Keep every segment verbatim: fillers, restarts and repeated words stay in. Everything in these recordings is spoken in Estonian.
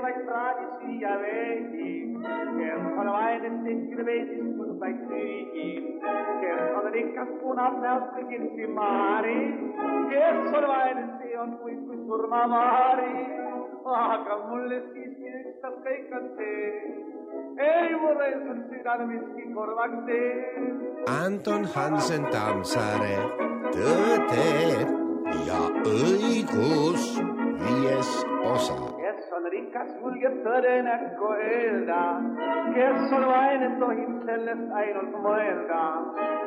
vaid praadisi ja veegi, kes on vainen tehkil veedistus vaid süügi, kes on rikas punab näost kõigilsi maari, kes on vainen see on kuid kui surmamaari, aga mulle siiski ükstas kõik on see, ei mulle on südame miski korvaks see. Anton Hansen Tammsaare, Tõde ja õigus, viies osa. Kes on rikas, julgeb tõde näkku öelda, kes on vaine, tohib sellest ainult mõelda,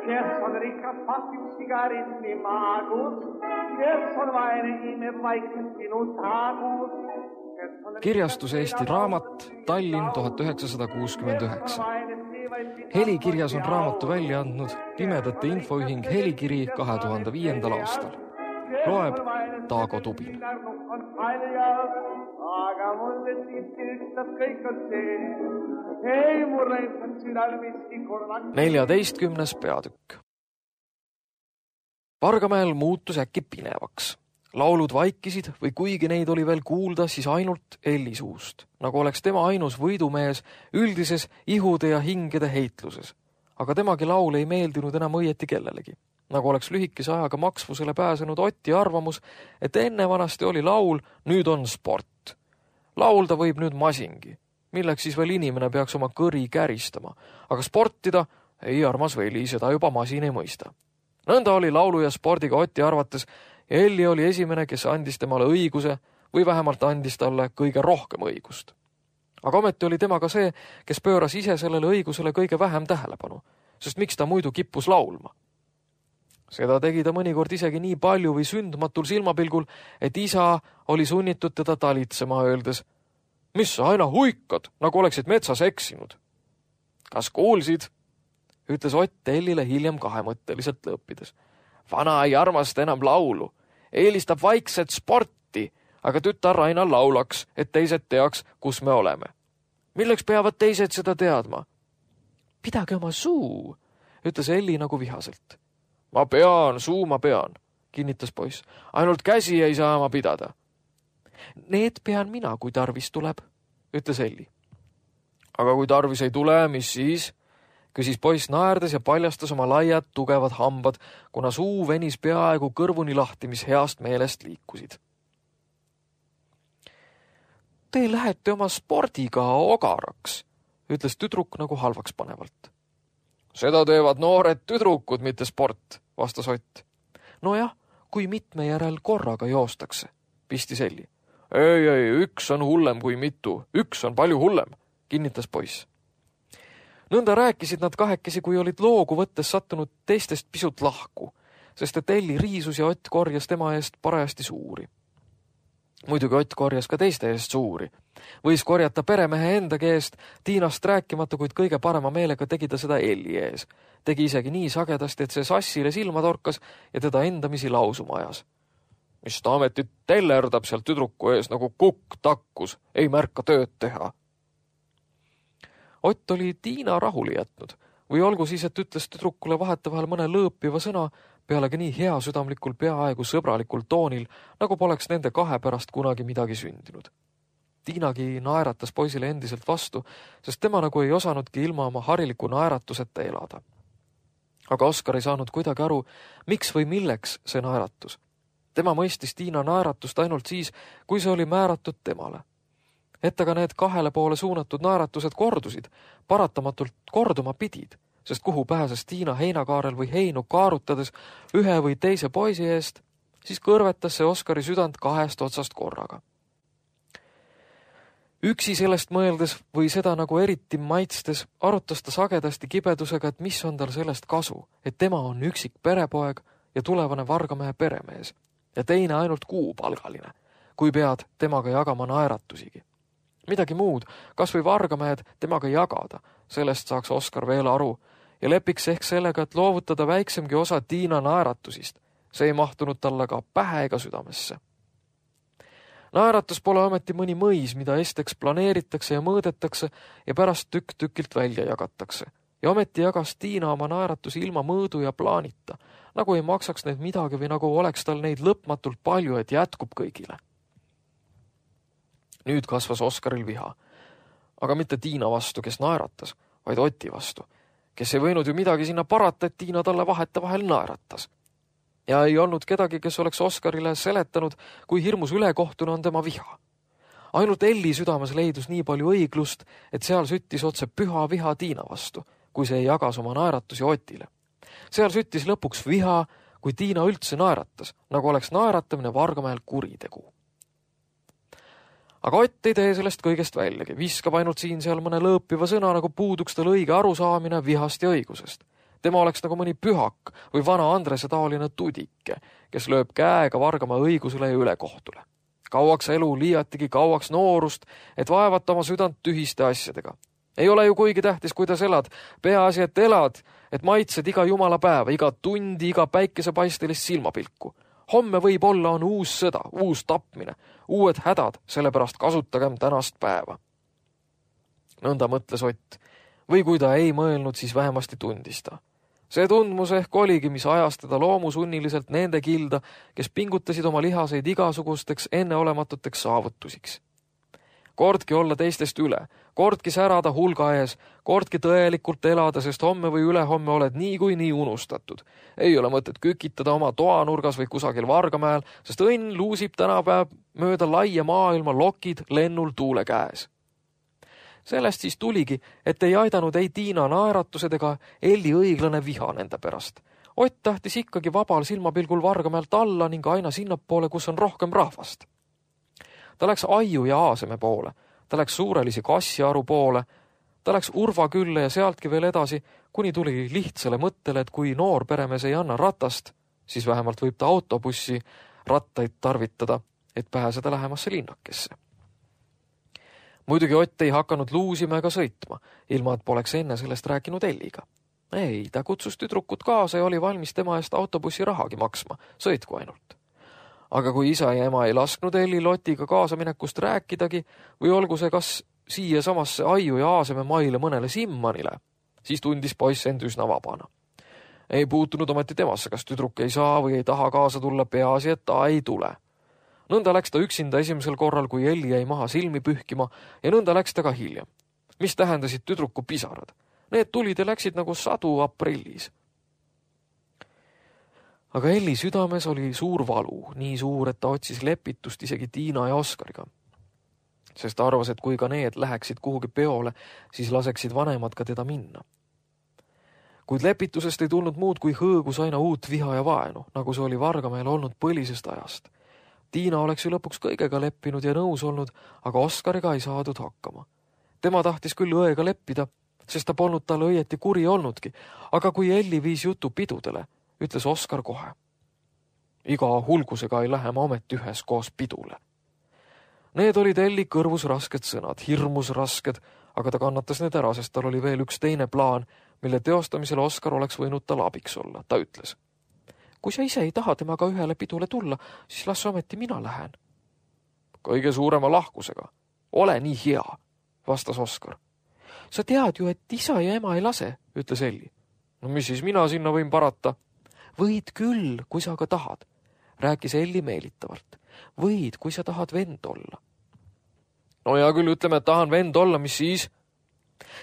kes on rikas, pasib sigaritni maagus, kes on vaine, imeb vaikselt sinu taagus. Kirjastus Eesti Raamat, Tallinn tuhat üheksasada kuuskümmend üheksa. Helikirjas on raamatu välja andnud Pimedate Infoühing Helikiri kahe tuhande viiendal aastal. Loeb Taago Tubin. Aga mulle siiski ükstas kõik on see, ei mulle on südal miski korvaks. neljateistkümnes peatükk. Vargamäel muutus äkki pinevaks. Laulud vaikisid või kuigi neid oli veel kuulda, siis ainult Elli suust, nagu oleks tema ainus võidumees üldises ihude ja hingede heitluses. Aga temagi laul ei meeldinud enam õieti kellelegi. Nagu oleks lühikese ajaga maksvusele pääsenud Otti arvamus, et enne vanasti oli laul, nüüd on sport. Laulda võib nüüd masingi, milleks siis veel inimene peaks oma kõri käristama, aga sportida ei armas Veli, seda juba masin ei mõista. Nõnda oli laulu ja spordiga Otti arvates ja Elli oli esimene, kes andis temale õiguse või vähemalt andis talle kõige rohkem õigust. Aga ometi oli tema ka see, kes pööras ise sellele õigusele kõige vähem tähelepanu, sest miks ta muidu kippus laulma? Seda tegi ta mõnikord isegi nii palju või sündmatul silmapilgul, et isa oli sunnitud teda talitsema öeldes, mis sa aina huikad, nagu oleksid metsas eksinud. Kas kuulsid? Ütles Ott Ellile hiljem kahemõtteliselt lõppides. Vana ei armasta enam laulu, eelistab vaikset sporti, aga tütar aina laulaks, et teised teaks, kus me oleme. Milleks peavad teised seda teadma? Pidage oma suu, ütles Elli nagu vihaselt. Ma pean, suu ma pean, kinnitas poiss. Ainult käsi ei saa ma pidada. Need pean mina, kui tarvis tuleb, ütles Elli. Aga kui tarvis ei tule, mis siis? Küsis poiss naerdes ja paljastas oma laiad, tugevad hambad, kuna suu venis peaaegu kõrvuni lahti, mis heast meelest liikusid. Te lähete oma spordiga ogaraks, ütles tüdruk nagu halvaks panevalt. Seda teevad noored tüdrukud, mitte sport, vastas Ott. Nojah, kui mitme järel korraga joostakse, pistis Elli. Ei, ei, üks on hullem kui mitu, üks on palju hullem, kinnitas poiss. Nõnda rääkisid nad kahekesi, kui olid loogu võttes sattunud teistest pisut lahku, sest et Elli riisus ja Ott korjas tema eest parajasti suuri. Muidugi Ott korjas ka teiste eest suuri. Võis korjata peremehe endagi eest, Tiinast rääkimata, kuid kõige parema meelega tegi ta seda Elli ees. Tegi isegi nii sagedasti, et see sassile silma torkas ja teda endamisi lausuma ajas. Mis ta ametit tellerdab sealt tüdruku ees nagu kukk takkus, ei märka tööd teha. Ott oli Tiina rahuli jätnud või olgu siis, et ütles tüdrukule vahetevahel mõne lõõpiva sõna, pealegi nii hea südamlikul peaaegu sõbralikul toonil, nagu poleks nende kahe pärast kunagi midagi sündinud. Tiinagi naeratas poisile endiselt vastu, sest tema nagu ei osanudki ilma oma hariliku naeratuseta elada. Aga Oskar ei saanud kuidagi aru, miks või milleks see naeratus. Tema mõistis Tiina naeratust ainult siis, kui see oli määratud temale. Et aga need kahele poole suunatud naeratused kordusid, paratamatult korduma pidid, sest kuhu pääses Tiina heinakaarel või heinu kaarutades ühe või teise poisi eest, siis kõrvetas see Oskari südant kahest otsast korraga. Üksi sellest mõeldes või seda nagu eriti maitstes arutas ta sagedasti kibedusega, et mis on tal sellest kasu, et tema on üksik perepoeg ja tulevane Vargamäe peremees ja teine ainult kuupalgaline, kui pead temaga jagama naeratusigi. Midagi muud, kas või Vargamäed temaga jagada, sellest saaks Oskar veel aru ja lepiks ehk sellega, et loovutada väiksemgi osa Tiina naeratusist. See ei mahtunud talle ka pähe ega südamesse. Naeratus pole ometi mõni mõis, mida esteks planeeritakse ja mõõdetakse ja pärast tükk tükilt välja jagatakse. Ja ometi jagas Tiina oma naeratusi ilma mõõdu ja plaanita, nagu ei maksaks neid midagi või nagu oleks tal neid lõpmatult palju, et jätkub kõigile. Nüüd kasvas Oskaril viha. Aga mitte Tiina vastu, kes naeratas, vaid Oti vastu, kes ei võinud ju midagi sinna parata, et Tiina talle vahete vahel naeratas. Ja ei olnud kedagi, kes oleks Oskarile seletanud, kui hirmus ülekohtune on tema viha. Ainult Elli südames leidus nii palju õiglust, et seal süttis otse püha viha Tiina vastu, kui see jagas oma naeratusi Otile. Seal süttis lõpuks viha, kui Tiina üldse naeratas, nagu oleks naeratamine Vargamäel kuritegu. Aga Ott ei tee sellest kõigest väljagi, viskab ainult siin seal mõne lõõpiva sõna, nagu puuduks tal õige arusaamine vihast ja õigusest. Tema oleks nagu mõni pühak või vana Andrese taoline tudike, kes lööb käega Vargamäe õigusele ja ülekohtule. Kauaks elu, liiatigi kauaks noorust, et vaevata oma südant tühiste asjadega. Ei ole ju kuigi tähtis, kuidas elad. Peaasi, et elad, et maitsed iga jumala päeva, iga tundi, iga päikesepaistelist silmapilku. Homme võib olla on uus sõda, uus tapmine, uued hädad, sellepärast kasutagem tänast päeva. Nõnda mõtles Ott, või kui ta ei mõelnud, siis vähemasti tundis ta. See tundmus ehk oligi, mis ajas teda loomusunniliselt nende kilda, kes pingutasid oma lihaseid igasugusteks enneolematuteks saavutusiks. Kordki olla teistest üle, kordki särada hulga ees, kordki tõelikult elada, sest homme või ülehomme oled nii kui nii unustatud. Ei ole mõtet kükitada oma toanurgas või kusagil Vargamäel, sest õnn luusib tänapäev mööda laia maailma lokid lennul tuule käes. Sellest siis tuligi, et ei aidanud ei Tiina naeratused ega Elli õiglane viha nende pärast. Ott tahtis ikkagi vabal silmapilgul Vargamäelt alla ning aina sinnapoole, kus on rohkem rahvast. Ta läks Aiu ja Aaseme poole, ta läks Suurelisi Kassiaru poole, ta läks Urva külle ja sealtki veel edasi, kuni tuli lihtsale mõttele, et kui noor peremees ei anna ratast, siis vähemalt võib ta autobussi rattaid tarvitada, et pääseda lähemasse linnakesse. Muidugi Ott ei hakanud luusima ega sõitma, ilma et poleks enne sellest rääkinud Elliga. Ei, ta kutsus tüdrukut kaasa ja oli valmis tema eest autobussi rahagi maksma, sõitku ainult. Aga kui isa ja ema ei lasknud Elli Lotiga kaasaminekust rääkidagi või olgu see kas siia samasse Aiu ja Aaseme maile mõnele Simmanile, siis tundis poiss end üsna vabana. Ei puutunud ometi temasse, kas tüdruk ei saa või ei taha kaasa tulla, peaasi, et ta ei tule. Nõnda läks ta üksinda esimesel korral, kui Elli jäi maha silmi pühkima ja nõnda läks ta ka hiljem. Mis tähendasid tüdruku pisarad? Need tulid ja läksid nagu sadu aprillis. Aga Elli südames oli suur valu, nii suur, et ta otsis lepitust isegi Tiina ja Oskariga. Sest ta arvas, et kui ka need läheksid kuhugi peole, siis laseksid vanemad ka teda minna. Kuid lepitusest ei tulnud muud kui hõõgus aina uut viha ja vaenu, nagu see oli Vargamäel olnud põlisest ajast. Tiina oleks ju lõpuks kõigega leppinud ja nõus olnud, aga Oskariga ei saadud hakkama. Tema tahtis küll õega leppida, sest ta polnud talle õieti kuri olnudki, aga kui Elli viis jutu pidudele, ütles Oskar kohe. Iga hulgusega ei lähe ma ometi ühes koos pidule. Need olid Elli kõrvus rasked sõnad, hirmus rasked, aga ta kannatas need ära, sest tal oli veel üks teine plaan, mille teostamisel Oskar oleks võinud tal abiks olla. Ta ütles, kui sa ise ei taha temaga ühele pidule tulla, siis las ometi mina lähen. Kõige suurema lahkusega. Ole nii hea, vastas Oskar. Sa tead ju, et isa ja ema ei lase, ütles Elli. No mis siis mina sinna võin parata? Võid küll, kui sa ka tahad, rääkis Elli meelitavalt. Võid, kui sa tahad vend olla. No ja küll ütleme, et tahan vend olla, mis siis?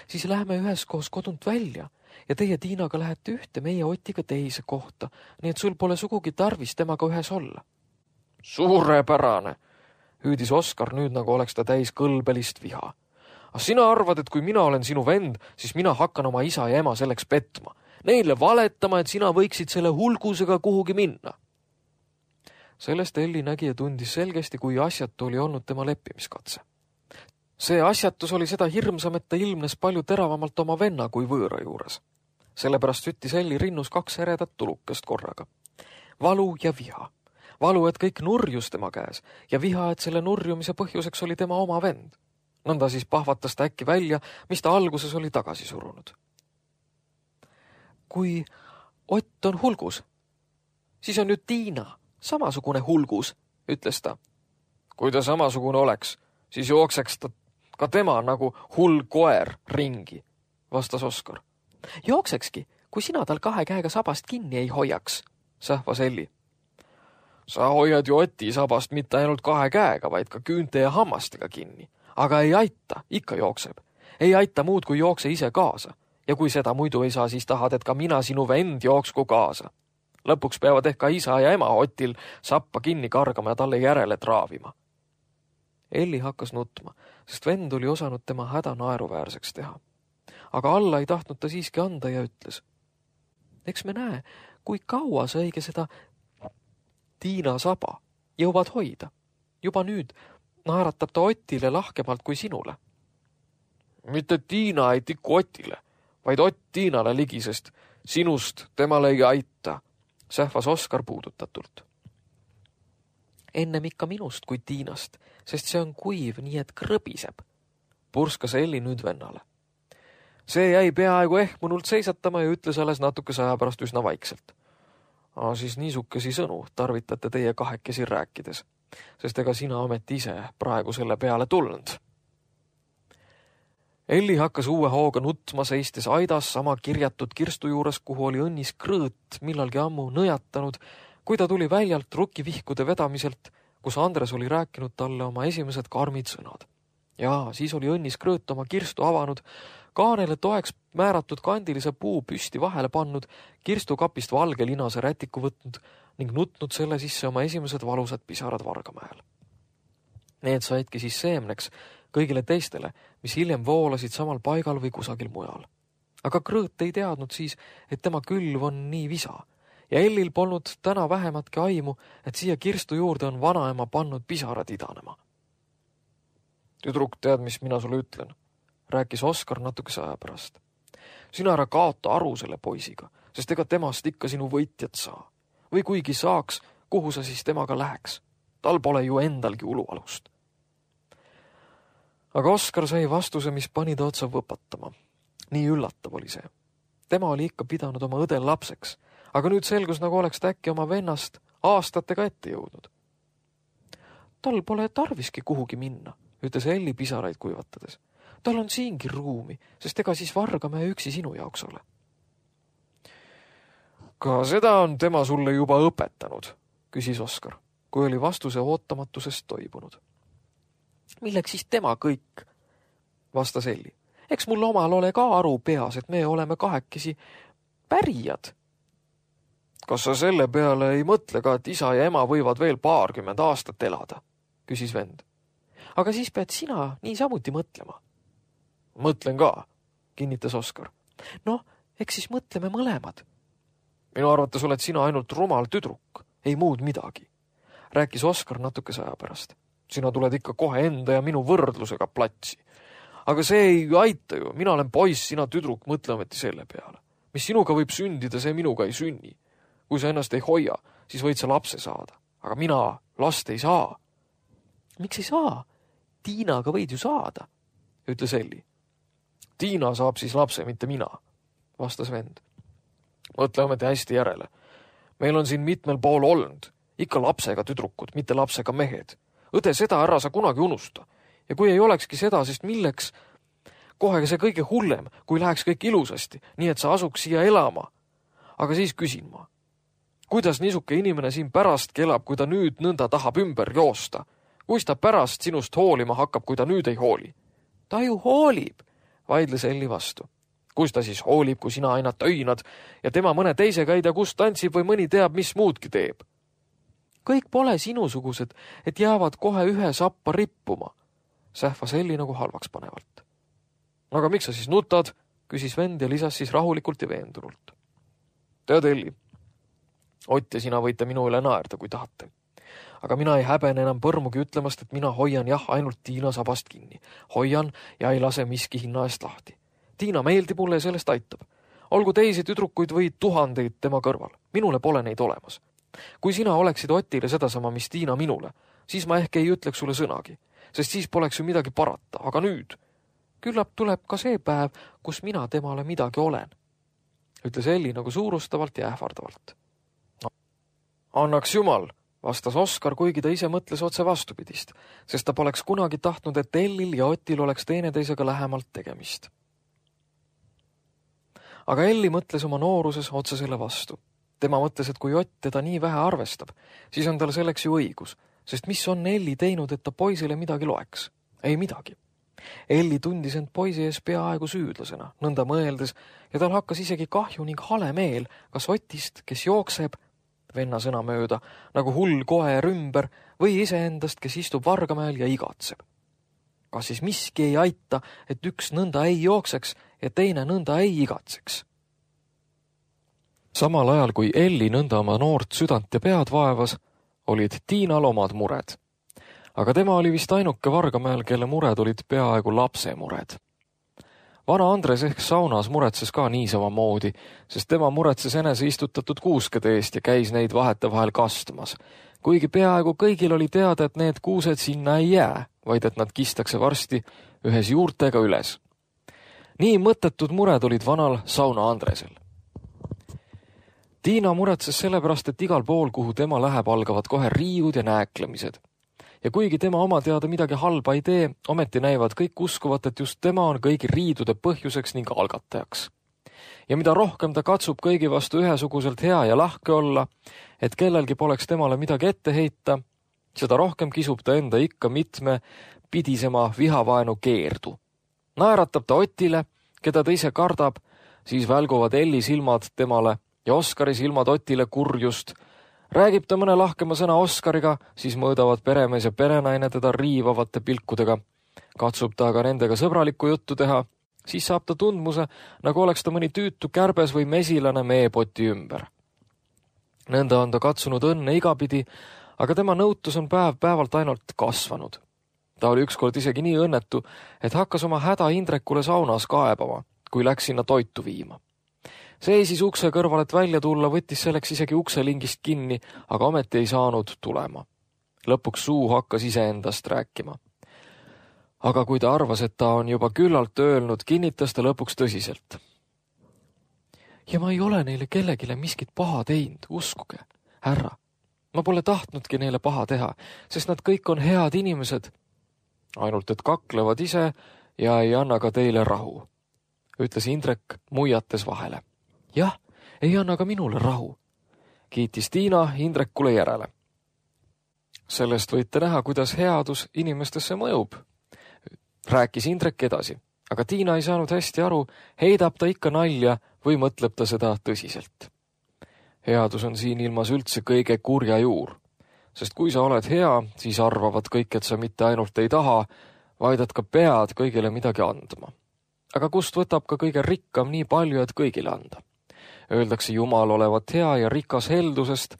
Siis läheme üheskoos kodunt välja ja teie Tiinaga lähete ühte, meie Otiga teise kohta, nii et sul pole sugugi tarvis temaga ühes olla. Suurepärane, hüüdis Oskar nüüd, nagu oleks ta täis kõlbelist viha. Aga sina arvad, et kui mina olen sinu vend, siis mina hakkan oma isa ja ema selleks petma. Neile valetama, et sina võiksid selle hulgusega kuhugi minna. Sellest Elli nägi ja tundis selgesti, kui asjatu oli olnud tema leppimiskatse. See asjatus oli seda hirmsam, et ta ilmnes palju teravamalt oma venna kui võõra juures. Sellepärast süttis Elli rinnus kaks eredat tulukest korraga. Valu ja viha. Valu, et kõik nurjus tema käes ja viha, et selle nurjumise põhjuseks oli tema oma vend. Nõnda siis pahvatas ta äkki välja, mis ta alguses oli tagasi surunud. Kui Ott on hulgus, siis on ju Tiina samasugune hulgus, ütles ta. Kui ta samasugune oleks, siis jookseks ta ka tema nagu hull koer ringi, vastas Oskar. Jooksekski, kui sina tal kahe käega sabast kinni ei hoiaks, sähvas Elli. Sa hoiad ju Oti sabast mitte ainult kahe käega, vaid ka küünte ja hammastega kinni. Aga ei aita, ikka jookseb. Ei aita muud, kui jookse ise kaasa. Ja kui seda muidu ei saa, siis tahad, et ka mina sinu vend jooksku kaasa. Lõpuks peavad ehk ka isa ja ema Otil sappa kinni kargama ja talle järele traavima. Elli hakkas nutma, sest vend oli osanud tema häda naeruväärseks teha. Aga alla ei tahtnud ta siiski anda ja ütles. Eks me näe, kui kaua sa õige seda Tiina saba jõuad hoida. Juba nüüd naeratab ta Otile lahkemalt kui sinule. Mitte Tiina ei tiku Otile, vaid Ott Tiinale ligi, sest sinust temale ei aita, sähvas Oskar puudutatult. Ennem ikka minust kui Tiinast, sest see on kuiv, nii et krõbiseb, purskas Elli nüüd vennale. See jäi peaaegu ehmunult seisatama ja ütles alles natukese aja pärast üsna vaikselt. A, siis niisukesi sõnu tarvitate teie kahekesi rääkides, sest ega sina ometi ise praegu selle peale tulnud. Elli hakkas uue hooga nutma seistes aidas sama kirjatud kirstu juures, kuhu oli õnnis krõõt millalgi ammu nõjatanud, kui ta tuli väljalt rukivihkude vedamiselt, kus Andres oli rääkinud talle oma esimesed karmid sõnad. Ja siis oli õnnis krõõt oma kirstu avanud, kaanele toeks määratud kandilise puu püsti vahele pannud, kirstukapist valge linase rätiku võtnud ning nutnud selle sisse oma esimesed valusad pisarad Vargamäel. Need saidki siis seemneks kõigile teistele, mis hiljem voolasid samal paigal või kusagil mujal. Aga krõõt ei teadnud siis, et tema külv on nii visa ja Ellil polnud täna vähematki aimu, et siia kirstu juurde on vanaema pannud pisarad idanema. Tüdruk, tead, mis mina sulle ütlen? Rääkis Oskar natukese aja pärast. Sina ära kaota aru selle poisiga, sest ega temast ikka sinu võitjat saa. Või kuigi saaks, kuhu sa siis temaga läheks? Tal pole ju endalgi ulualust. Aga Oskar sai vastuse, mis pani ta otsa võpatama. Nii üllatav oli see. Tema oli ikka pidanud oma õdel lapseks, aga nüüd selgus, nagu oleks ta äkki oma vennast aastatega ette jõudnud. Tal pole tarviski kuhugi minna, ütles Elli pisaraid kuivatades. Tal on siingi ruumi, sest ega siis Vargamäe üksi sinu jaoks ole. Ka seda on tema sulle juba õpetanud, küsis Oskar, kui oli vastuse ootamatusest toibunud. Milleks siis tema kõik? Vastas Elli. Eks mul omal ole ka aru peas, et me oleme kahekesi pärijad. Kas sa selle peale ei mõtle ka, et isa ja ema võivad veel paarkümmend aastat elada? Küsis vend. Aga siis pead sina nii samuti mõtlema. Mõtlen ka, kinnitas Oskar. No, eks siis mõtleme mõlemad. Minu arvates oled sina ainult rumal tüdruk, ei muud midagi. Rääkis Oskar natukese aja pärast. Sina tuled ikka kohe enda ja minu võrdlusega platsi. Aga see ei aita ju, mina olen poiss, sina tüdruk, mõtle ometi selle peale. Mis sinuga võib sündida, see minuga ei sünni. Kui sa ennast ei hoia, siis võid sa lapse saada. Aga mina last ei saa. Miks ei saa? Tiinaga võid ju saada, ütles Elli. Tiina saab siis lapse, mitte mina, vastas vend. Mõtle ometi hästi järele. Meil on siin mitmel pool olnud. Ikka lapsega tüdrukud, mitte lapsega mehed. Õde, seda ära sa kunagi unusta. Ja kui ei olekski seda, sest milleks kohe see kõige hullem, kui läheks kõik ilusasti, nii et sa asuks siia elama. Aga siis küsin ma. Kuidas niisuke inimene siin pärast elab, kui ta nüüd nõnda tahab ümber joosta? Kuis ta pärast sinust hoolima hakkab, kui ta nüüd ei hooli? Ta ju hoolib, vaidles Elli vastu. Kus ta siis hoolib, kui sina aina töinad ja tema mõne teisega ei tea, kus tantsib või mõni teab, mis muudki teeb? Kõik pole sinusugused, et jäävad kohe ühe sappa rippuma, sähvas Elli nagu halvaks panevalt. Aga miks sa siis nutad? Küsis vend ja lisas siis rahulikult ja veendunult. Tead, Elli, Ott ja sina võite minu üle naerda, kui tahate. Aga mina ei häbene enam põrmugi ütlemast, et mina hoian jah ainult Tiina sabast kinni. Hoian ja ei lase miski hinna eest lahti. Tiina meeldib mulle ja sellest aitab. Olgu teisi tüdrukuid või tuhandeid tema kõrval. Minule pole neid olemas. Kui sina oleksid Otile sedasama, mis Tiina minule, siis ma ehk ei ütleks sulle sõnagi, sest siis poleks ju midagi parata. Aga nüüd, küllap tuleb ka see päev, kus mina temale midagi olen, ütles Elli nagu suurustavalt ja ähvardavalt. No, annaks jumal, vastas Oskar, kuigi ta ise mõtles otse vastupidist, sest ta poleks kunagi tahtnud, et Ellil ja Otil oleks teineteisega lähemalt tegemist. Aga Elli mõtles oma nooruses otse selle vastu. tema mõtles, et kui Ott teda nii vähe arvestab, siis on tal selleks ju õigus, sest mis on Elli teinud, et ta poisile midagi loeks? Ei midagi. Elli tundis end poisi ees peaaegu süüdlasena, nõnda mõeldes, ja tal hakkas isegi kahju ning hale meel, kas Otist, kes jookseb, venna sõna mööda, nagu hull koer ümber, või iseendast, kes istub Vargamäel ja igatseb. Kas siis miski ei aita, et üks nõnda ei jookseks ja teine nõnda ei igatseks? Samal ajal, kui Elli nõnda oma noort südant ja pead vaevas, olid Tiinal omad mured. Aga tema oli vist ainuke Vargamäel, kelle mured olid peaaegu lapse mured. Vana Andres ehk saunas muretses ka niisama moodi, sest tema muretses enese istutatud kuuskede eest ja käis neid vahete vahel kastumas. Kuigi peaaegu kõigil oli teada, et need kuused sinna ei jää, vaid et nad kistakse varsti ühes juurtega üles. Nii mõttetud mured olid vanal sauna Andresel. Tiina muretses sellepärast, et igal pool, kuhu tema läheb, algavad kohe riiud ja nääklemised. Ja kuigi tema oma teada midagi halba ei tee, ometi näivad kõik uskuvat, et just tema on kõigi riidude põhjuseks ning algatajaks. Ja mida rohkem ta katsub kõigi vastu ühesuguselt hea ja lahke olla, et kellelgi poleks temale midagi ette heita, seda rohkem kisub ta enda ikka mitme pidisema vihavaenu keerdu. Naeratab ta Otile, keda ta ise kardab, siis välguvad Elli silmad temale ja Oskari silmad Otile kurjust. Räägib ta mõne lahkema sõna Oskariga, siis mõõdavad peremees ja perenaine teda riivavate pilkudega. Katsub ta aga nendega sõbralikku juttu teha, siis saab ta tundmuse, nagu oleks ta mõni tüütu kärbes või mesilane meepoti ümber. Nõnda on ta katsunud õnne igapidi, aga tema nõutus on päev päevalt ainult kasvanud. Ta oli ükskord isegi nii õnnetu, et hakkas oma häda Indrekule saunas kaebama, kui läks sinna toitu viima. Seisis ukse kõrval, et välja tulla, võttis selleks isegi ukselingist kinni, aga ometi ei saanud tulema. Lõpuks suu hakkas iseendast rääkima. Aga kui ta arvas, et ta on juba küllalt öelnud, kinnitas ta lõpuks tõsiselt. Ja ma ei ole neile kellegile miskit paha teinud, uskuge, härra. Ma pole tahtnudki neile paha teha, sest nad kõik on head inimesed. Ainult, et kaklevad ise ja ei anna ka teile rahu, ütles Indrek muiates vahele. Jah, ei anna ka minule rahu, kiitis Tiina Indrekule järele. Sellest võite näha, kuidas headus inimestesse mõjub, rääkis Indrek edasi, aga Tiina ei saanud hästi aru, heidab ta ikka nalja või mõtleb ta seda tõsiselt. Headus on siin ilmas üldse kõige kurja juur, sest kui sa oled hea, siis arvavad kõik, et sa mitte ainult ei taha, vaid et ka pead kõigile midagi andma. Aga kust võtab ka kõige rikkam nii palju, et kõigile anda? Öeldakse Jumal olevat hea ja rikas heldusest,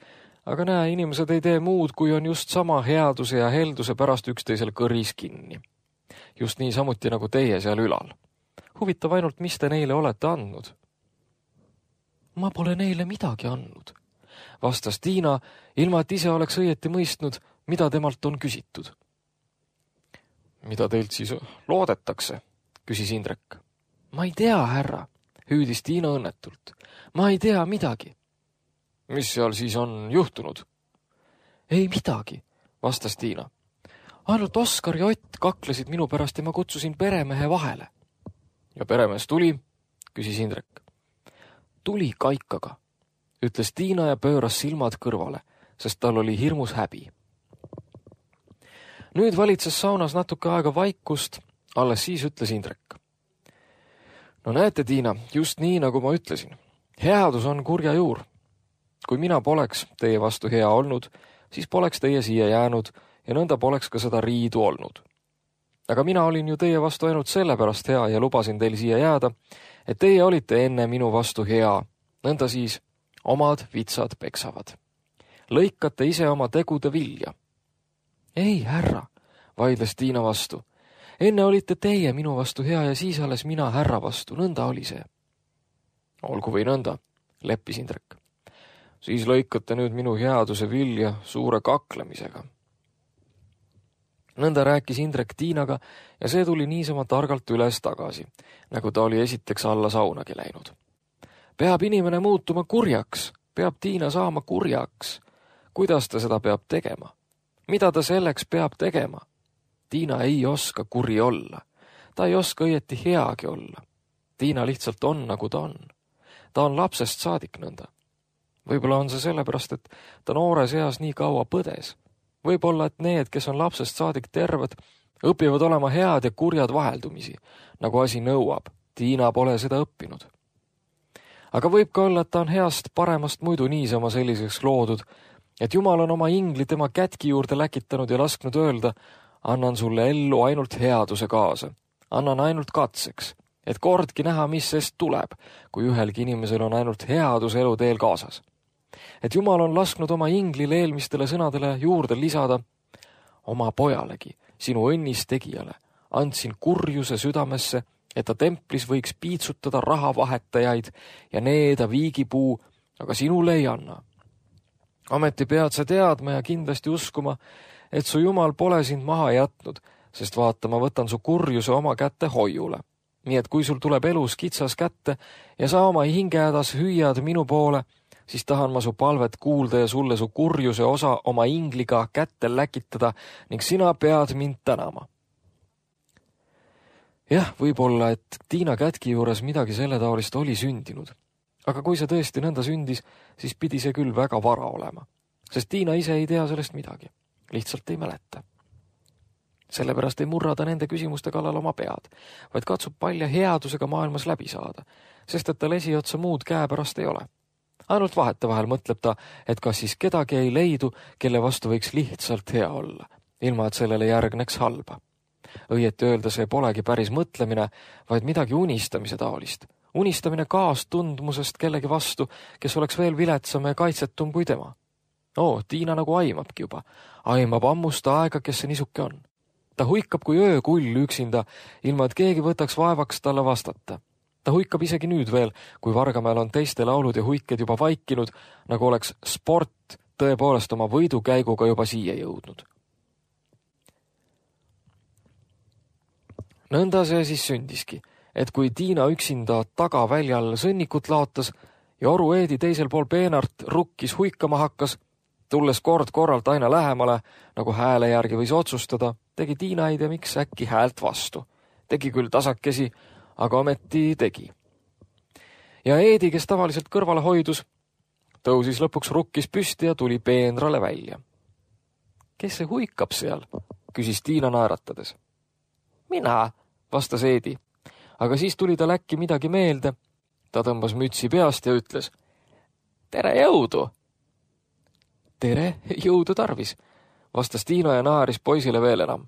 aga näe, inimesed ei tee muud, kui on just sama headuse ja helduse pärast üksteisel kõris kinni. Just nii samuti nagu teie seal ülal. Huvitav ainult, mis te neile olete andnud? Ma pole neile midagi andnud, vastas Tiina, ilma et ise oleks õieti mõistnud, mida temalt on küsitud. Mida teilt siis loodetakse, küsis Indrek. Ma ei tea, härra, hüüdis Tiina õnnetult. Ma ei tea midagi. Mis seal siis on juhtunud? Ei midagi, vastas Tiina. Ainult Oskar ja Ott kaklesid minu pärast ja ma kutsusin peremehe vahele. Ja peremees tuli, küsis Indrek. Tuli kaikaga, ütles Tiina ja pööras silmad kõrvale, sest tal oli hirmus häbi. Nüüd valitses saunas natuke aega vaikust, alles siis ütles Indrek. No näete, Tiina, just nii, nagu ma ütlesin. Headus on kurja juur. Kui mina poleks teie vastu hea olnud, siis poleks teie siia jäänud ja nõnda poleks ka seda riidu olnud. Aga mina olin ju teie vastu ainult sellepärast hea ja lubasin teil siia jääda, et teie olite enne minu vastu hea. Nõnda siis omad vitsad peksavad. Lõikate ise oma tegude vilja. Ei, härra, vaidles Tiina vastu. Enne olite teie minu vastu hea ja siis alles mina härra vastu. Nõnda oli see. Olgu või nõnda, leppis Indrek. Siis lõikate nüüd minu headuse vilja suure kaklemisega. Nõnda rääkis Indrek Tiinaga ja see tuli niisama targalt üles tagasi, nagu ta oli esiteks alla saunagi läinud. Peab inimene muutuma kurjaks, peab Tiina saama kurjaks. Kuidas ta seda peab tegema? Mida ta selleks peab tegema? Tiina ei oska kuri olla. Ta ei oska õieti heagi olla. Tiina lihtsalt on, nagu ta on. Ta on lapsest saadik nõnda. Võib-olla on see sellepärast, et ta noores eas nii kaua põdes. Võib-olla, et need, kes on lapsest saadik terved, õpivad olema head ja kurjad vaheldumisi, nagu asi nõuab. Tiina pole seda õppinud. Aga võib ka olla, et ta on heast paremast muidu niisama selliseks loodud, et Jumal on oma ingli tema kätki juurde läkitanud ja lasknud öelda, annan sulle ellu ainult headuse kaasa, annan ainult katseks, et kordki näha, mis sest tuleb, kui ühelgi inimesel on ainult headus eluteel kaasas. Et Jumal on lasknud oma inglile eelmistele sõnadele juurde lisada, oma pojalegi, sinu õnnis tegijale, andsin kurjuse südamesse, et ta templis võiks piitsutada rahavahetajaid ja needa viigipuu, aga sinule ei anna. Ameti pead sa teadma ja kindlasti uskuma, et su Jumal pole sind maha jätnud, sest vaata, ma võtan su kurjuse oma kätte hoiule. Nii et kui sul tuleb elus kitsas kätte ja sa oma hingehädas hüüad minu poole, siis tahan ma su palvet kuulda ja sulle su kurjuse osa oma ingliga kätte läkitada ning sina pead mind tänama. Jah, võib-olla, et Tiina kätki juures midagi selle taolist oli sündinud. Aga kui see tõesti nõnda sündis, siis pidi see küll väga vara olema, sest Tiina ise ei tea sellest midagi, lihtsalt ei mäleta. Sellepärast ei murra ta nende küsimuste kallal oma pead, vaid katsub palja headusega maailmas läbi saada, sest et tal esiotsa muud käepärast ei ole. Ainult vahetevahel mõtleb ta, et kas siis kedagi ei leidu, kelle vastu võiks lihtsalt hea olla, ilma et sellele järgneks halba. Õieti öelda see polegi päris mõtlemine, vaid midagi unistamise taolist. Unistamine kaastundmusest kellegi vastu, kes oleks veel viletsam ja kaitsetum kui tema. Oo, Tiina nagu aimabki juba. Aimab ammust aega, kes see nisuke on. Ta huikab kui öökull üksinda, ilma et keegi võtaks vaevaks talle vastata. Ta huikab isegi nüüd veel, kui Vargamäel on teiste laulud ja huiked juba vaikinud, nagu oleks sport tõepoolest oma võidukäiguga juba siia jõudnud. Nõnda see siis sündiski, et kui Tiina üksinda tagaväljal sõnnikut laotas ja Oru Eedi teisel pool peenart rukkis huikama hakkas, tulles kord korralt aina lähemale, nagu hääle järgi võis otsustada, tegi Tiina ei tea miks äkki häält vastu. Tegi küll tasakesi, aga ometi tegi. Ja Eedi, kes tavaliselt kõrvale hoidus, tõusis lõpuks rukkis püsti ja tuli peenrale välja. Kes see huikab seal? Küsis Tiina naeratades. Mina, vastas Eedi, aga siis tuli ta läkki midagi meelde. Ta tõmbas mütsi peast ja ütles, tere jõudu! Tere, jõudu tarvis, vastas Tiina ja naaris poisile veel enam.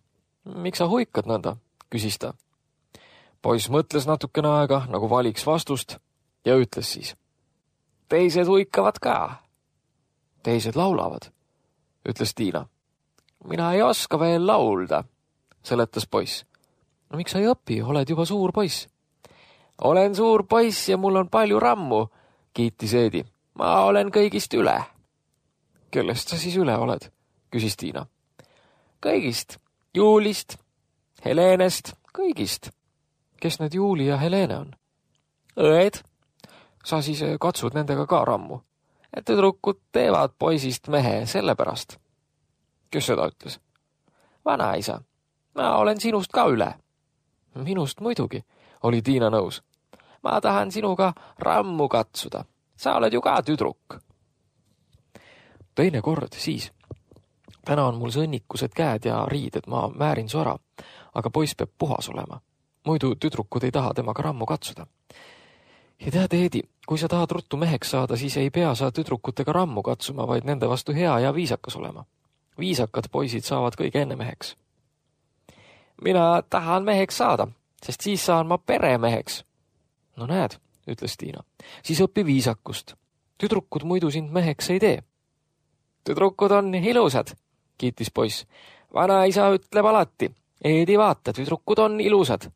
Miks sa huikad nõnda? Küsis ta. Poiss mõtles natukene aega, nagu valiks vastust ja ütles siis. Teised huikavad ka. Teised laulavad, ütles Tiina. Mina ei oska veel laulda, seletas poiss. No miks sa ei õpi, oled juba suur poiss? Olen suur poiss ja mul on palju rammu, kiitis Eedi. Ma olen kõigist üle. Kellest sa siis üle oled? Küsis Tiina. Kõigist. Juulist, Helenest, kõigist. Kes need Juuli ja Helene on? Õed. Sa siis katsud nendega ka rammu. Et tüdrukud teevad poisist mehe sellepärast. Kes seda ütles? Vanaisa. Ma olen sinust ka üle. Minust muidugi, oli Tiina nõus. Ma tahan sinuga rammu katsuda. Sa oled ju ka tüdruk. Teine kord siis. Täna on mul sõnnikused käed ja riided, ma määrin su ära, aga poiss peab puhas olema. Muidu tüdrukud ei taha temaga rammu katsuda. Ja tead, Eedi, kui sa tahad ruttu meheks saada, siis ei pea sa tüdrukutega rammu katsuma, vaid nende vastu hea ja viisakas olema. Viisakad poisid saavad kõige enne meheks. Mina tahan meheks saada, sest siis saan ma peremeheks. No näed, ütles Tiina, siis õpi viisakust. Tüdrukud muidu sind meheks ei tee. Tüdrukud on ilusad, kiitis poiss. Vanaisa ütleb alati, Eedi vaata, tüdrukud on ilusad.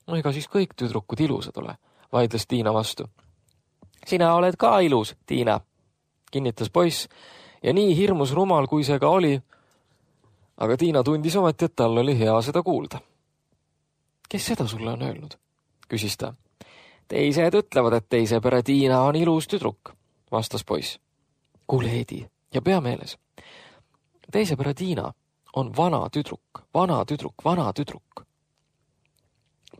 No ega siis kõik tüdrukud ilusad ole, vaidles Tiina vastu. Sina oled ka ilus, Tiina, kinnitas poiss ja nii hirmus rumal, kui see ka oli, aga Tiina tundis ometi, et tal oli hea seda kuulda. Kes seda sulle on öelnud? Küsis ta. Teised ütlevad, et teise pere Tiina on ilus tüdruk, vastas poiss. Kuule, Eedi, ja pea meeles. Teise pere Tiina on vana tüdruk, vana tüdruk, vana tüdruk.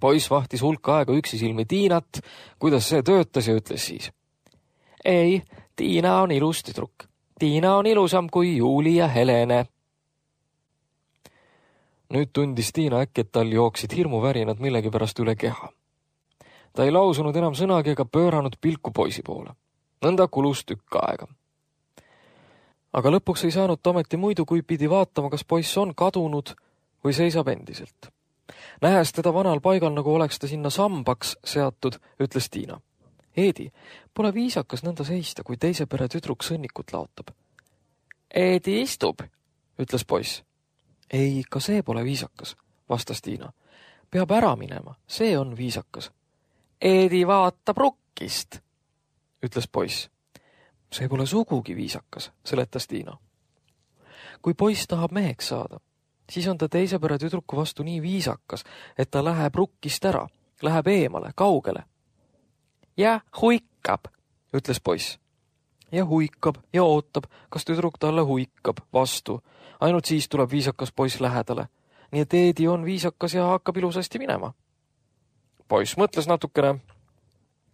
Poiss vahtis hulka aega üksisilmi Tiinat, kuidas see töötas ja ütles siis. Ei, Tiina on ilus tüdruk. Tiina on ilusam kui Juuli ja Helene. Nüüd tundis Tiina äkki, et tal jooksid hirmuvärinad millegi pärast üle keha. Ta ei lausunud enam sõnagi ega pööranud pilku poisi poole. Nõnda kulus tükk aega. Aga lõpuks ei saanud ta ometi muidu, kui pidi vaatama, kas poiss on kadunud või seisab endiselt. Nähes teda vanal paigal, nagu oleks ta sinna sambaks seatud, ütles Tiina. Eedi, pole viisakas nõnda seista, kui teise pere tüdruk sõnnikut laotab. Eedi istub, ütles poiss. Ei, ka see pole viisakas, vastas Tiina. Peab ära minema, see on viisakas. Eedi vaatab rukkist, ütles poiss. See pole sugugi viisakas, seletas Tiina. Kui poiss tahab meheks saada, siis on ta teise pere tüdruku vastu nii viisakas, et ta läheb rukkist ära, läheb eemale, kaugele. Ja huikab, ütles poiss. Ja huikab ja ootab, kas tüdruk talle huikab vastu. Ainult siis tuleb viisakas poiss lähedale. Nii et Eedi on viisakas ja hakkab ilusasti minema. Poiss mõtles natukene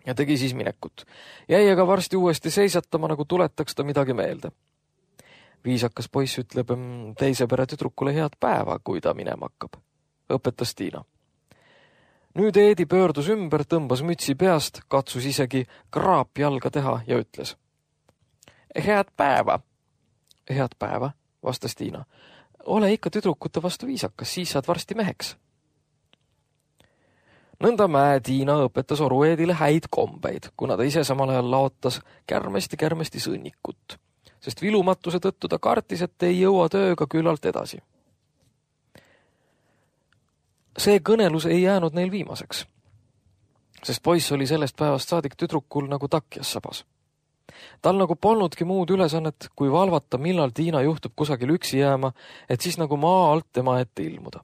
ja tegi siis minekut. Jäi aga varsti uuesti seisatama, nagu tuletaks ta midagi meelde. Viisakas poiss ütleb teise pere tüdrukule head päeva, kui ta minema hakkab, õpetas Tiina. Nüüd Eedi pöördus ümber, tõmbas mütsi peast, katsus isegi kraap jalga teha ja ütles. Head päeva. Head päeva, vastas Tiina. Ole ikka tüdrukute vastu viisakas, siis saad varsti meheks. Nõnda Mäe Tiina õpetas oru Eedile häid kombeid, kuna ta ise samal ajal laotas kärmesti-kärmesti sõnnikut, sest vilumatuse tõttu ta kartis, et ei jõua tööga küllalt edasi. See kõnelus ei jäänud neil viimaseks, sest poiss oli sellest päevast saadik tüdrukul nagu takjas sabas. Tal nagu polnudki muud ülesannet, kui valvata, millal Tiina juhtub kusagil üksi jääma, et siis nagu maa alt tema ette ilmuda.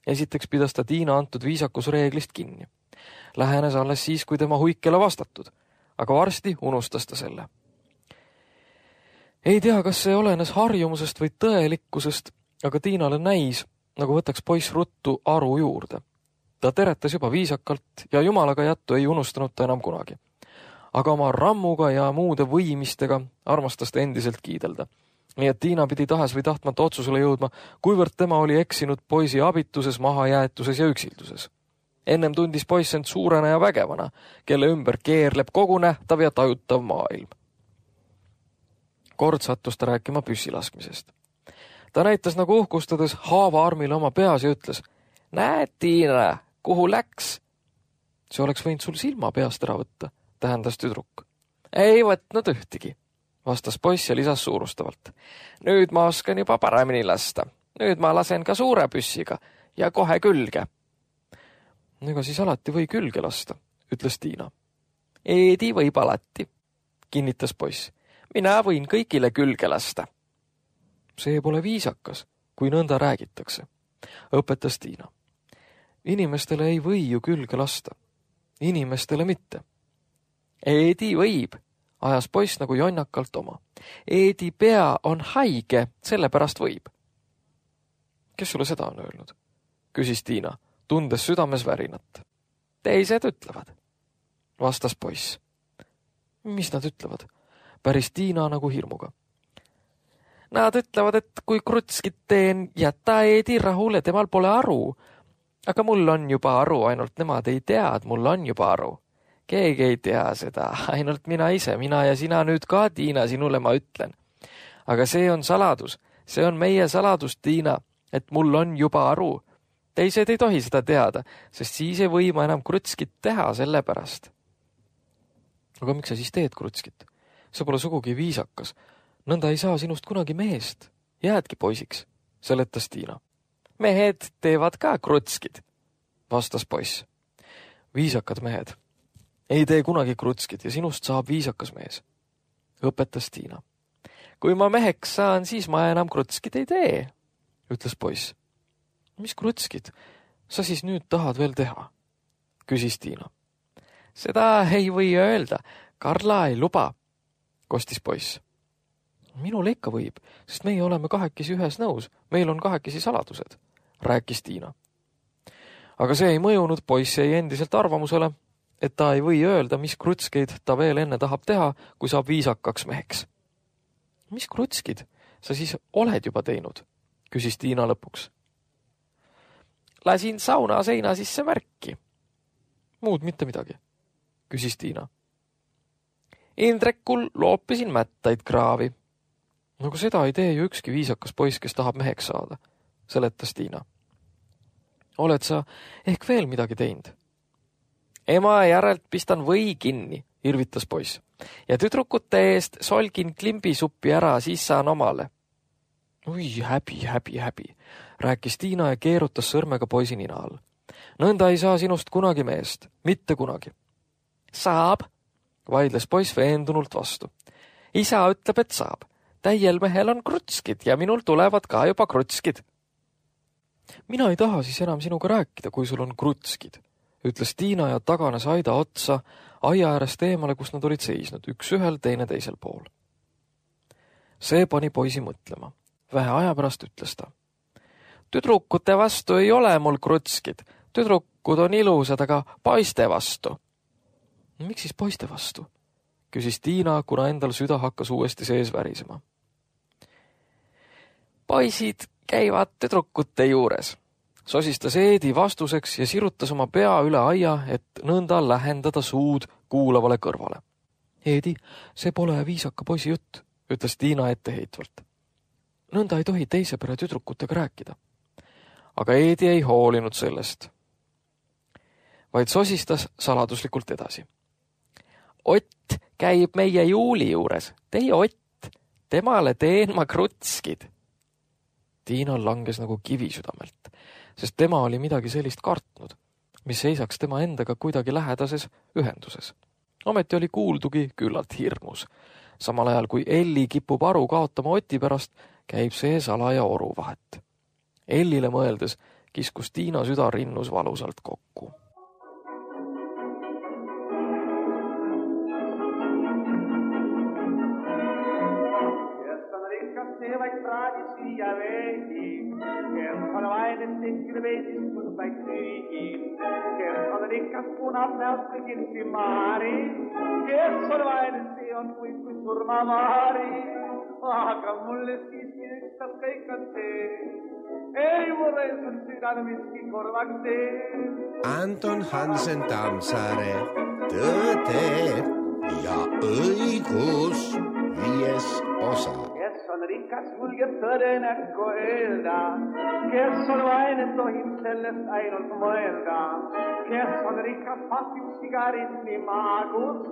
Esiteks pidas ta Tiina antud viisakusreeglist kinni. Lähenes alles siis, kui tema huikele vastatud, aga varsti unustas ta selle. Ei tea, kas see olenes harjumusest või tõelikkusest, aga Tiinale näis, nagu võtaks poiss ruttu aru juurde. Ta teretas juba viisakalt ja jumalaga jättu ei unustanud ta enam kunagi. Aga oma rammuga ja muude võimistega armastas ta endiselt kiidelda. Nii et Tiina pidi tahes või tahtmata otsusele jõudma, kuivõrd tema oli eksinud poisi abituses, mahajäetuses ja üksilduses. Ennem tundis poiss end suurena ja vägevana, kelle ümber keerleb kogu nähtav ja tajutav maailm. Kord sattus ta rääkima püssilaskmisest. Ta näitas nagu uhkustades haava armile oma peas ja ütles, näed, Tiina, kuhu läks? See oleks võinud sul silma peast ära võtta, tähendas tüdruk. Ei võtnud ühtegi, vastas poiss ja lisas suurustavalt. Nüüd ma oskan juba paremini lasta. Nüüd ma lasen ka suure püssiga ja kohe külge. Ega siis alati või külge lasta, ütles Tiina. Eedi võib alati, kinnitas poiss. Mina võin kõigile külge lasta. See pole viisakas, kui nõnda räägitakse, õpetas Tiina. Inimestele ei või ju külge lasta. Inimestele mitte. Eedi võib, ajas poiss nagu jonnakalt oma. Eedi pea on haige, sellepärast võib. Kes sulle seda on öelnud? Küsis Tiina, tundes südames värinat. Teised ütlevad, vastas poiss. Mis nad ütlevad? Päris Tiina nagu hirmuga. Nad ütlevad, et kui krutskit teen, jäta Eedi rahule, temal pole aru. Aga mul on juba aru, ainult nemad ei tea, et mul on juba aru. Keegi ei tea seda, ainult mina ise, mina ja sina nüüd ka, Tiina, sinule ma ütlen. Aga see on saladus, see on meie saladus, Tiina, et mul on juba aru. Teised ei tohi seda teada, sest siis ei või ma enam krutskit teha selle pärast. Aga miks sa siis teed krutskit? See pole sugugi viisakas. Nõnda ei saa sinust kunagi mehest. Jäädki poisiks, seletas Tiina. Mehed teevad ka krutskid, vastas poiss. Viisakad mehed. Ei tee kunagi krutskid ja sinust saab viisakas mees, õpetas Tiina. Kui ma meheks saan, siis ma enam krutskid ei tee, ütles poiss. Mis krutskid? Sa siis nüüd tahad veel teha? Küsis Tiina. Seda ei või öelda. Karla ei luba, kostis poiss. Minul ikka võib, sest meie oleme kahekesi ühes nõus. Meil on kahekesi saladused, rääkis Tiina. Aga see ei mõjunud, poiss jäi endiselt arvamusele, et ta ei või öelda, mis krutskeid ta veel enne tahab teha, kui saab viisakaks meheks. Mis krutskid sa siis oled juba teinud? Küsis Tiina lõpuks. Lasin sauna seina sisse märki. Muud mitte midagi, küsis Tiina. Indrekul loopisin mättaid kraavi. No kui seda ei tee ju ükski viisakas poiss, kes tahab meheks saada, seletas Tiina. Oled sa ehk veel midagi teinud? Ema järelt pistan või kinni, irvitas poiss. Ja tüdrukute eest solgin klimbisuppi ära, siis saan omale. Ui, häbi, häbi, häbi, rääkis Tiina ja keerutas sõrmega poisi nina all. Nõnda ei saa sinust kunagi meest, mitte kunagi. Saab, vaidles poiss veendunult vastu. Isa ütleb, et saab. Täiel mehel on krutskid ja minul tulevad ka juba krutskid. Mina ei taha siis enam sinuga rääkida, kui sul on krutskid, ütles Tiina ja taganes aida otsa aia äärest eemale, kus nad olid seisnud, üks ühel, teine teisel pool. See pani poisi mõtlema. Vähe aja pärast ütles ta. Tüdrukute vastu ei ole mul krutskid. Tüdrukud on ilusad, aga poiste vastu. Miks siis poiste vastu? Küsis Tiina, kuna endal süda hakkas uuesti sees värisema. Poisid käivad tüdrukute juures. Sosistas Eedi vastuseks ja sirutas oma pea üle aia, et nõnda lähendada suud kuulavale kõrvale. Eedi, see pole viisaka poisi jutt, ütles Tiina etteheitvalt. Nõnda ei tohi teise pere tüdrukutega rääkida. Aga Eedi ei hoolinud sellest, vaid sosistas saladuslikult edasi. Ott käib meie Juuli juures. Teie Ott, temale teen ma krutskid. Tiina langes nagu kivi südamelt, sest tema oli midagi sellist kartnud, mis seisaks tema endaga kuidagi lähedases ühenduses. Ometi oli kuuldugi küllalt hirmus. Samal ajal kui Elli kipub aru kaotama Oti pärast, käib see salaja oru vahet. Ellile mõeldes kiskus Tiina süda rinnus valusalt kokku. Ja veidi, kes on vaid tehkide veidis, kus vaid süügi. Kes on rikas punab näost kõigil simaari. Kes on vaid see on kuid kui surmavaari. Aga mulle siiski ükstas kõik on see. Ei mulle on südane miski korvaks see. Anton Hansen Tammsaare, Tõde ja õigus, viies osa. On rikas julgeb tõde näkku öelda, kes on vaene tohib sellest ainult mõelda. Kes on rikas pasib sigaritni maagus,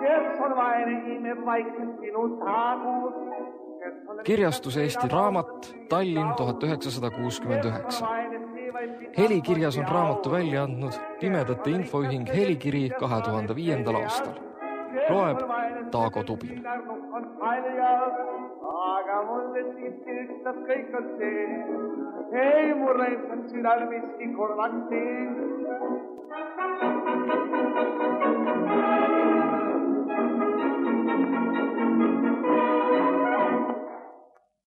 kes on vaene imeb vaikselt sinu taagus. Kirjastus Eesti Raamat, Tallinn tuhat üheksasada kuuskümmend üheksa. Helikirjas on raamatu välja andnud Pimedate infoühing Helikiri kahe tuhande viiendal aastal. Loeb Taago Tubin. Aga mulle siiski ükstas kõik on see. Ei mulle on südal miski korvaks see.